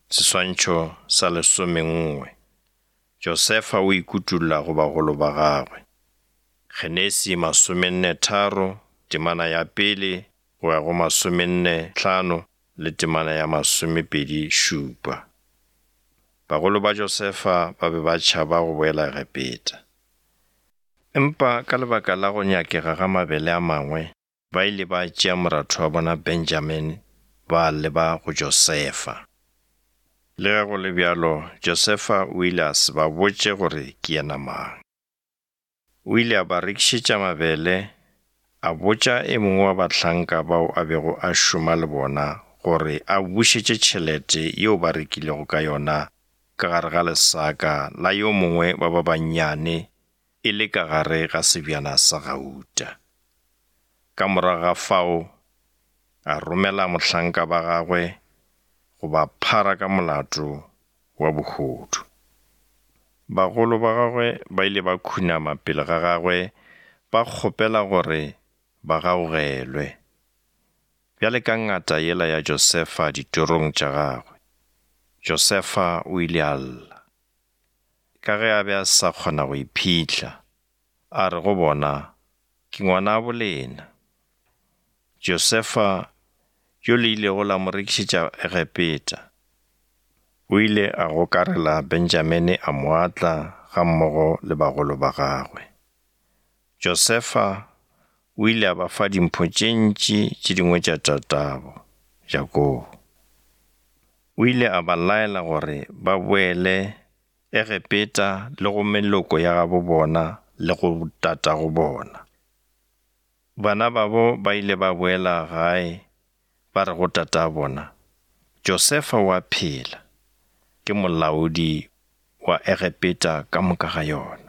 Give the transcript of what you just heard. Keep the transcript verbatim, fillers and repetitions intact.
Seswantšho sa lesomenngwe. Josefa o ikutolla go bagolo ba gagwe. Genesi masomenne tharo, temana ya pele go ya go masomenne hlano le temana ya masomepedi šupa. Bagolo ba Josefa ba be ba tšhaba go boela Egepeta. Empa ka lebaka la go nyakega ga mabele a mangwe, ba ile ba tšea moratho wa bona Benjamini ba leba go Josefa. Le ge go le bjalo, Josefa o ile a se ba botše gore ke yena mang. O ile a ba rekišetša mabele, a botša e mongwe wa bahlanka bao a bego a šoma le bona gore a bušetše tšhelete yeo ba rekilego ka yona ka gare ga lesaka la yo mongwe wa ba bannyane e le ka gare ga sebjana sa gauta. Ka morago ga fao, a romela mohlanka ba gagwe go ba phara ka molato wa bohodu. Bagolo ba gagwe ba ile ba khunama pele ga gagwe ba kgopela gore ba gaugelwe. Bjale ka ngata yela ya Josefa ditorong tša gagwe, Josefa o ile a lla. Ka ge a be a sa kgona go iphihla, a re go bona, ke ngwanabo lena. Josefa yo le ilego la mo rekišetša Egepeta. O ile a gokarela Benjamini a mo atla gammogo le bagolo ba gagwe. Josefa o ile a ba fa dimpho tše ntši tše dingwe tša tatabo, Jakobo. O ile a ba laela gore ba boele Egepeta le go meloko ya gabo bona le go tatago bona. Bana babo ba ile ba boela gae ba re go tata bona, Josefa o a phela, ke molaodi wa Egepeta ka moka ga yona.